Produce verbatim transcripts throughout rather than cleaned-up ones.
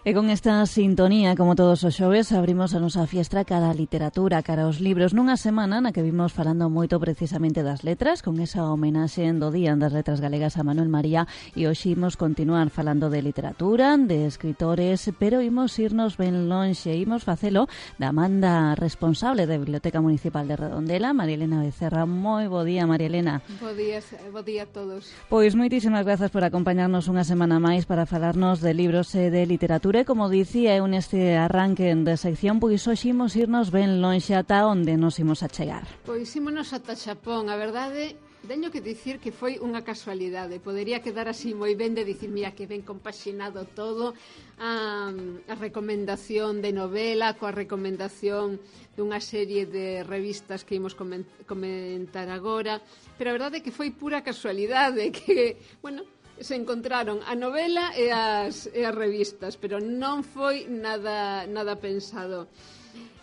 E con esta sintonía, como todos os xoves, abrimos a nosa fiestra cara a literatura, cara aos libros, nunha semana na que vimos falando moito precisamente das letras, con esa homenaxe do Día das Letras Galegas a Manuel María, e hoxe imos continuar falando de literatura, de escritores, pero imos irnos ben lonxe, imos facelo da manda responsable da Biblioteca Municipal de Redondela, María Elena Becerra. Moi bo día, María Elena. Bo día, bo día a todos. Pois moitísimas grazas por acompañarnos unha semana máis para falarnos de libros e de literatura. E como dicía eu neste arranque de sección, pois hoxe imos irnos ben lonxe ata onde nos imos a chegar. Pois ímonos ata Xapón, a verdade, teño que dicir que foi unha casualidade. Podería quedar así moi ben de dicir, mira, que ben compaxinado todo, a, a recomendación de novela coa recomendación dunha serie de revistas que imos comentar agora, pero a verdade é que foi pura casualidade, que, bueno, se encontraron a novela e as, e as revistas, pero non foi nada, nada pensado.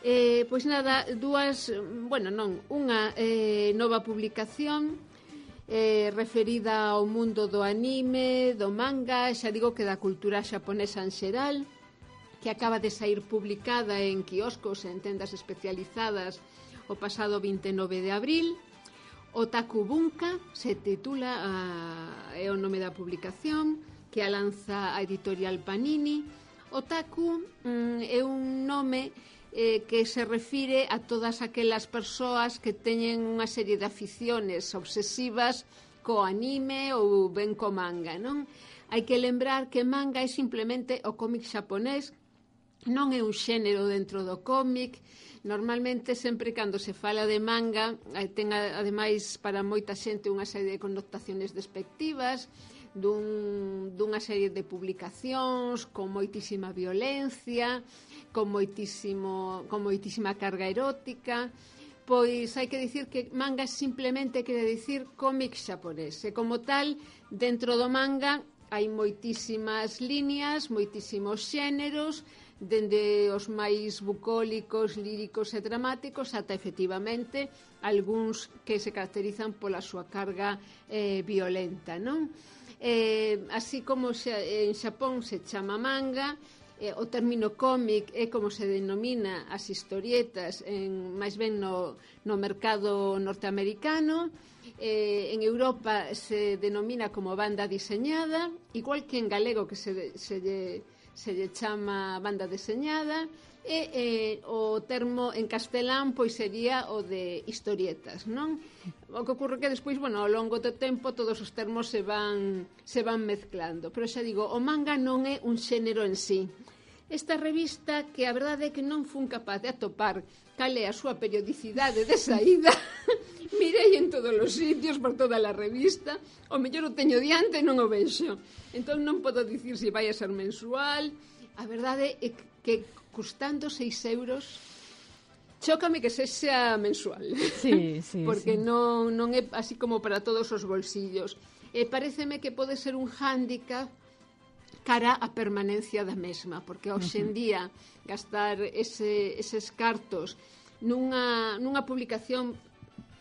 Eh, pois nada, dúas, bueno, non, unha eh, nova publicación eh, referida ao mundo do anime, do manga, xa digo que da cultura xaponesa en xeral, que acaba de sair publicada en quioscos e en tendas especializadas o pasado vinte e nove de abril. Otaku Bunka se titula, uh, é o nome da publicación, que a lanza a editorial Panini. Otaku um, é un nome eh, que se refire a todas aquelas persoas que teñen unha serie de aficiones obsesivas co anime ou ben co manga, non? Hai que lembrar que manga é simplemente o cómic xaponés, non é un xénero dentro do cómic. Normalmente, sempre cando se fala de manga, ten ademais para moita xente unha serie de connotaciones despectivas, dun, dunha serie de publicacións con moitísima violencia, con, moitísimo, con moitísima carga erótica. Pois hai que dicir que manga simplemente quere dicir cómic xaponés, e como tal, dentro do manga hai moitísimas líneas, moitísimos xéneros, dende os máis bucólicos, líricos e dramáticos ata efectivamente algúns que se caracterizan pola súa carga eh, violenta, non? Eh, así como xa, en Xapón se chama manga, eh, o término cómic é como se denomina as historietas en, máis ben no, no mercado norteamericano. Eh, en Europa se denomina como banda diseñada, igual que en galego que se, se lle se lle chama banda deseñada, e eh, o termo en castelán pois sería o de historietas, non? O que ocorre que despois, bueno, ao longo do tempo todos os termos se van se van mezclando, pero xa digo, o manga non é un xénero en sí. Esta revista, que a verdade é que non fun capaz de atopar cal é a súa periodicidade de saída, mirei en todos os sitios, por toda a revista, o mellor o teño diante e non o vexo. Entón non podo dicir se vai a ser mensual. A verdade é que custando seis euros, chócame que sexa mensual. Sí, sí, porque sí. Non, non é así como para todos os bolsillos. E paréceme que pode ser un hándicap cara a permanencia da mesma, porque hoxe en día gastar ese, eses cartos nunha, nunha publicación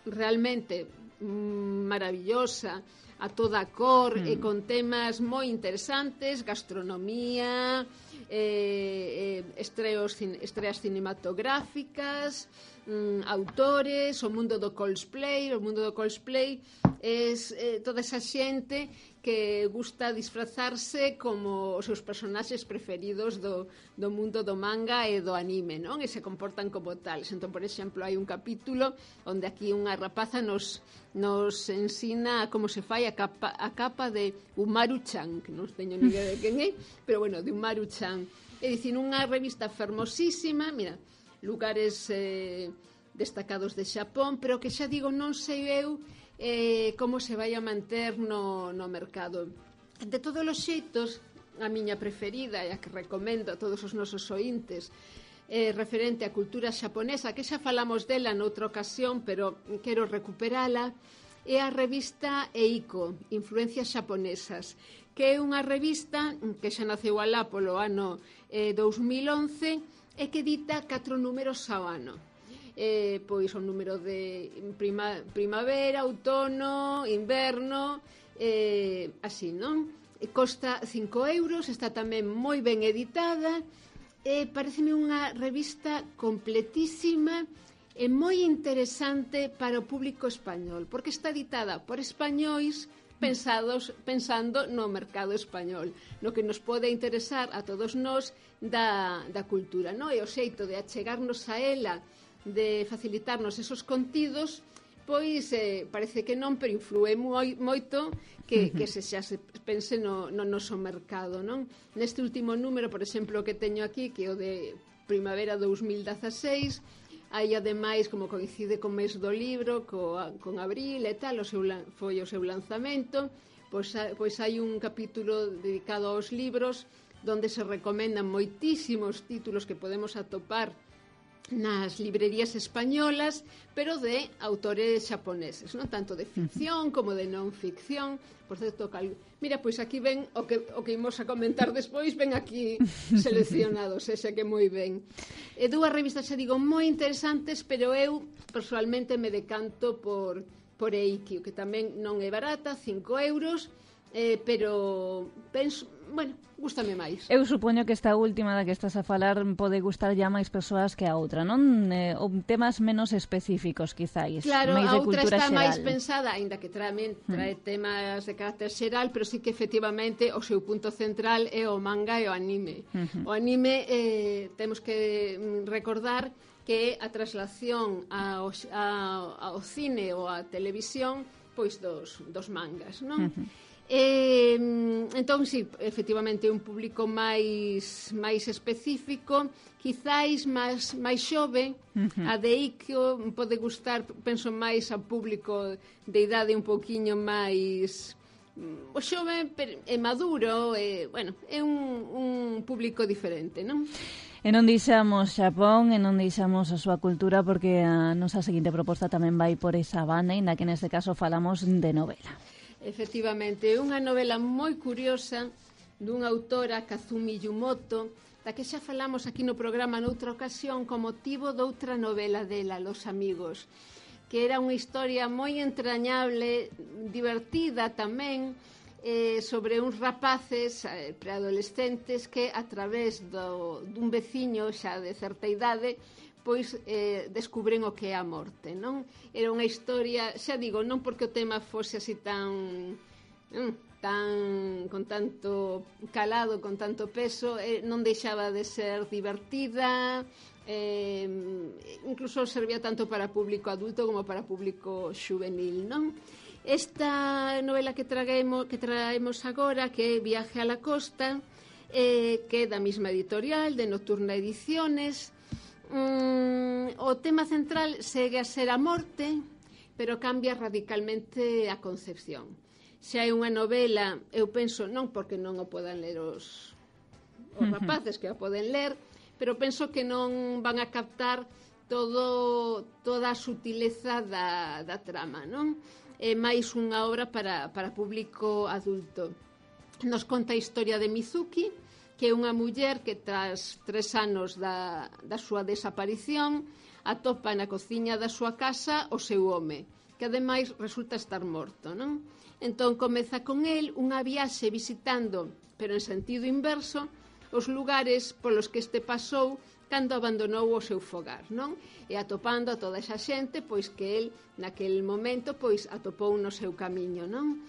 realmente mm, maravillosa, a toda cor, mm. e con temas moi interesantes, gastronomía, eh, eh, estreos, estreas cinematográficas, mm, autores, o mundo do cosplay. O mundo do cosplay é eh, toda esa xente que gusta disfrazarse como os seus personaxes preferidos do, do mundo do manga e do anime, non? E se comportan como tales. Entón, por exemplo, hai un capítulo onde aquí unha rapaza nos, nos ensina como se fai a capa, a capa de Umaru-chan, que non teño ni idea de quen é, pero bueno, de Umaru-chan. É dicir, unha revista fermosísima, mira, lugares eh, destacados de Xapón, pero que xa digo, non sei eu eh, como se vai a manter no, no mercado. De todos os xeitos, a miña preferida e a que recomendo a todos os nosos ointes, eh, referente á cultura xaponesa, que xa falamos dela noutra ocasión, pero quero recuperala, é a revista Eiko, Influencias Xaponesas, que é unha revista que xa naceu alá polo ano eh, dous mil once e que edita catro números ao ano. Eh, pois o número de prima, primavera, outono, inverno, eh, así, non? costa cinco euros, está tamén moi ben editada, e pareceme unha revista completísima e moi interesante para o público español, porque está editada por españois pensados pensando no mercado español, no que nos pode interesar a todos nós da, da cultura, no? E o xeito de achegarnos a ela, de facilitarnos esos contidos, pois eh, parece que non, pero influe moi, moito que, que se xa se pense no, no noso mercado, non? Neste último número, por exemplo, que teño aquí, que é o de Primavera dous mil dezaseis, hai ademais, como coincide co mes do libro, co, con abril e tal, o seu, foi o seu lanzamento, pois, pois hai un capítulo dedicado aos libros, donde se recomendan moitísimos títulos que podemos atopar nas librerías españolas, pero de autores xaponeses, non tanto de ficción como de non ficción. Por certo, cal... mira, pois aquí ven o que, o que imos a comentar despois, ven aquí seleccionados, ese que moi ben. E dúas revistas, xa digo, moi interesantes, pero eu personalmente me decanto por, por Eikio, que tamén non é barata, cinco euros, eh, pero penso, bueno, gústame máis. Eu supoño que esta última da que estás a falar pode gustar ya máis persoas que a outra, non? Eh, temas menos específicos, quizáis. Claro, máis a de outra cultura está xeral. máis pensada, aínda que trae, trae mm. temas de carácter xeral, pero sí que efectivamente o seu punto central é o manga e o anime. Uh-huh. O anime, eh, temos que recordar que a traslación ao, ao, ao cine ou á televisión pois dos, dos mangas, non? Uh-huh. Eh, entón, sí, efectivamente é un público máis máis específico, quizáis máis, máis xove. Uh-huh. A de Eikio pode gustar, penso, máis ao público de idade un pouquiño máis o xove é maduro, e, bueno, é un, un público diferente, non? E non deixamos Xapón, e non deixamos a súa cultura, porque a nosa seguinte proposta tamén vai por esa banda, e na que neste caso falamos de novela. Efectivamente, é unha novela moi curiosa dunha autora, Kazumi Yumoto, da que xa falamos aquí no programa noutra ocasión co motivo doutra novela dela, Los Amigos, que era unha historia moi entrañable, divertida tamén, eh, sobre uns rapaces eh, preadolescentes que a través do, dun veciño xa de certa idade pois eh, descubren o que é a morte, non? Era unha historia, xa digo, non porque o tema fose así tan mm, tan con tanto calado, con tanto peso, eh, non deixaba de ser divertida, eh, incluso servía tanto para público adulto como para público xuvenil, non? Esta novela que traemos, que traemos agora, que é Viaje a la Costa, eh, que é da mesma editorial, de Nocturna Ediciones. Mm, o tema central segue a ser a morte, pero cambia radicalmente a concepción. Xa é unha novela, eu penso, non porque non o podan ler os, os rapaces que a poden ler, pero penso que non van a captar todo, toda a sutileza da, da trama, non? É máis unha obra para, para público adulto. Nos conta a historia de Mizuki, que é unha muller que tras tres anos da, da súa desaparición atopa na cociña da súa casa o seu home, que ademais resulta estar morto, non? Entón comeza con el unha viaxe visitando, pero en sentido inverso, os lugares polos que este pasou cando abandonou o seu fogar, non? E atopando a toda esa xente pois que el naquel momento pois atopou no seu camiño, non?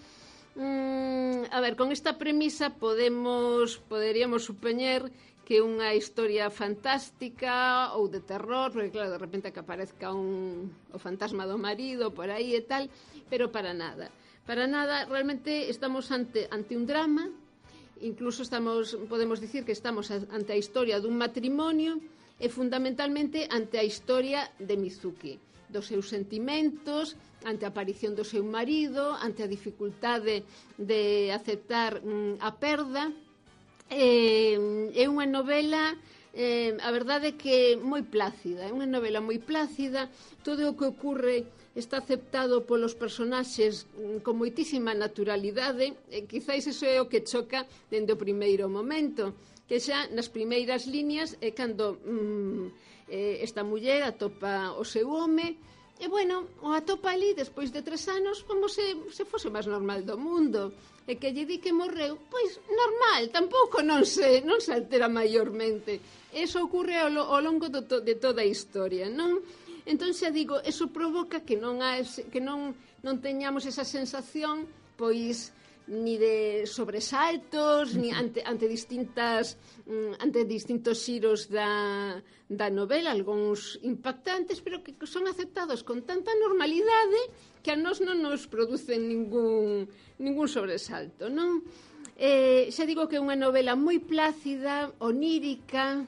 Mm, a ver, con esta premisa podemos poderíamos supoñer que unha historia fantástica ou de terror, porque claro, de repente que aparezca un, o fantasma do marido por aí e tal, pero para nada. Para nada, realmente estamos ante, ante un drama, incluso estamos, podemos dicir que estamos ante a historia dun matrimonio e fundamentalmente ante a historia de Mizuki, dos seus sentimentos, ante a aparición do seu marido, ante a dificultade de aceptar mm, a perda. Eh, é unha novela, eh, a verdade é que moi plácida, é unha novela moi plácida, todo o que ocorre está aceptado polos personaxes mm, con moitísima naturalidade, e quizáis iso é o que choca dende o primeiro momento, que xa nas primeiras líneas é cando mm, eh, esta muller atopa o seu home, E, bueno, o atopa ali, despois de tres anos, como se, se fose máis normal do mundo. E que lle di que morreu, pois normal, tampouco non se, non se altera maiormente. Eso ocurre ao, ao longo do, de toda a historia, non? Entón, xa digo, eso provoca que non, ha, que non, non teñamos esa sensación, pois, ni de sobresaltos, ni ante, ante distintas ante distintos xiros da, da novela, algúns impactantes, pero que son aceptados con tanta normalidade que a nós non nos producen ningún, ningún sobresalto, non? Eh, xa digo que é unha novela moi plácida, onírica,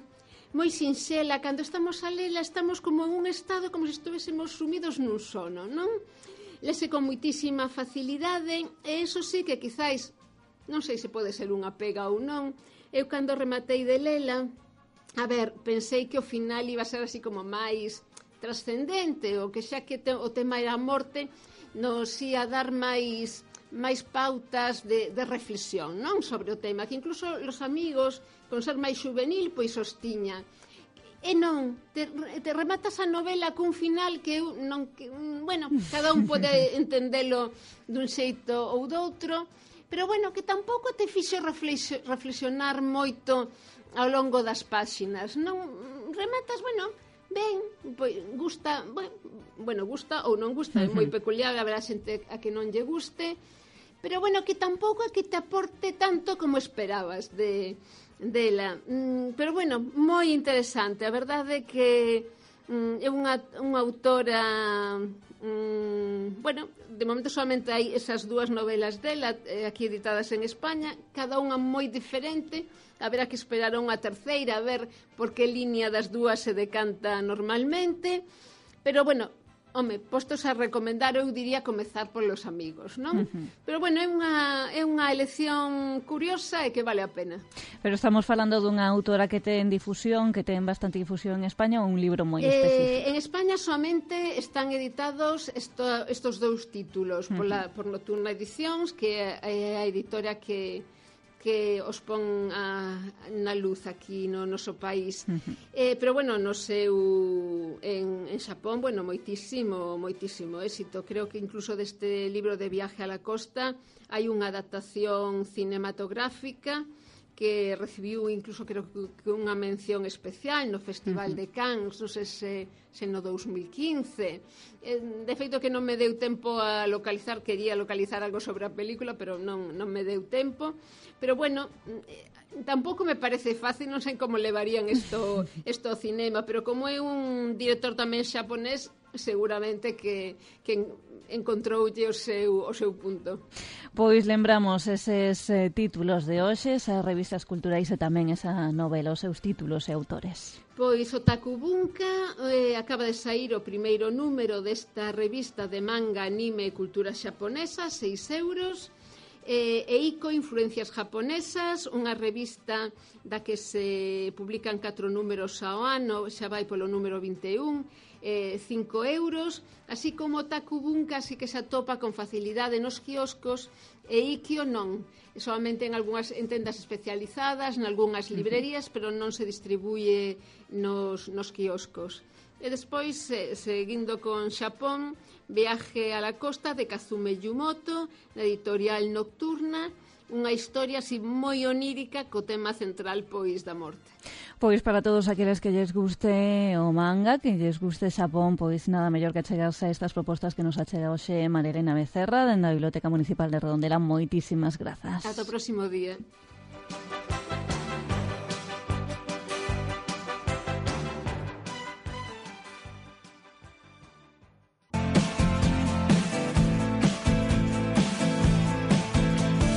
moi sinxela. Cando estamos a lela estamos como en un estado como se estuvéssemos sumidos nun sono, non? Lese con moitísima facilidade, e iso sí que quizáis, non sei se pode ser unha pega ou non, eu cando rematei de lela, a ver, pensei que o final iba a ser así como máis trascendente, ou que xa que te, o tema era a morte, nos ia dar máis, máis pautas de, de reflexión, non? Sobre o tema, que incluso os amigos, con ser máis juvenil, pois os tiña. E non, te, te rematas a novela cun final que eu non que, bueno, cada un pode entendelo dun xeito ou doutro, pero bueno, que tampouco te fixo reflexionar moito ao longo das páxinas. Non rematas, bueno, ben, pois gusta, bueno, gusta ou non gusta, é moi peculiar, haberá xente a que non lle guste, pero bueno, que tampouco é que te aporte tanto como esperabas de dela, mm, pero bueno, moi interesante. A verdade é que mm, é unha, unha autora mm, bueno, de momento solamente hai esas dúas novelas dela eh, aquí editadas en España, cada unha moi diferente. Haberá que esperar a unha terceira a ver por que línea das dúas se decanta normalmente, pero bueno, home, postos a recomendar, eu diría comezar polos amigos, non? Uh-huh. Pero bueno, é unha, é unha elección curiosa e que vale a pena. Pero estamos falando dunha autora que ten difusión, que ten bastante difusión en España, ou un libro moi eh, específico? En España somente están editados esto, estos dous títulos, uh-huh. pola, por Nocturna Edicións, que é a editora que que os pon a, na luz aquí no noso país. Uh-huh. Eh, pero, bueno, no seu... En, en Xapón, bueno, moitísimo, moitísimo éxito. Creo que incluso deste libro de Viaje a la Costa hai unha adaptación cinematográfica que recibiu incluso, creo que unha mención especial no Festival uh-huh. de Cannes, non sei se, se no dos mil quince. Eh, de feito que non me deu tempo a localizar, quería localizar algo sobre a película, pero non, non me deu tempo. Pero bueno, eh, tampouco me parece fácil, non sei como levarían isto, isto ao cinema, pero como é un director tamén xaponés, seguramente que, que encontroulle o seu, o seu punto. Pois lembramos eses eh, títulos de hoxe, esas revistas culturais e tamén esa novela, os seus títulos e autores. Pois Otaku Bunka eh, acaba de sair o primeiro número desta revista de manga, anime e cultura xaponesa, seis euros. Eh, e Eiko, Influencias Japonesas, unha revista da que se publican catro números ao ano, xa vai polo número vinte e un, eh, cinco euros, así como Otaku Bunka, así que se atopa con facilidade nos quioscos, e Ikkyo non, solamente en algunhas en tendas especializadas, en algunhas librerías, pero non se distribuye nos, nos quioscos. E despois, eh, seguindo con Xapón, Viaje a la Costa de Kazume Yumoto, na editorial Nocturna, unha historia así moi onírica co tema central, pois, da morte. Pois para todos aqueles que lles guste o manga, que lles guste Xapón, pois nada mellor que achegarse a estas propostas que nos achega hoxe María Elena Becerra, dende a Biblioteca Municipal de Redondela. Moitísimas grazas. Ata o próximo día.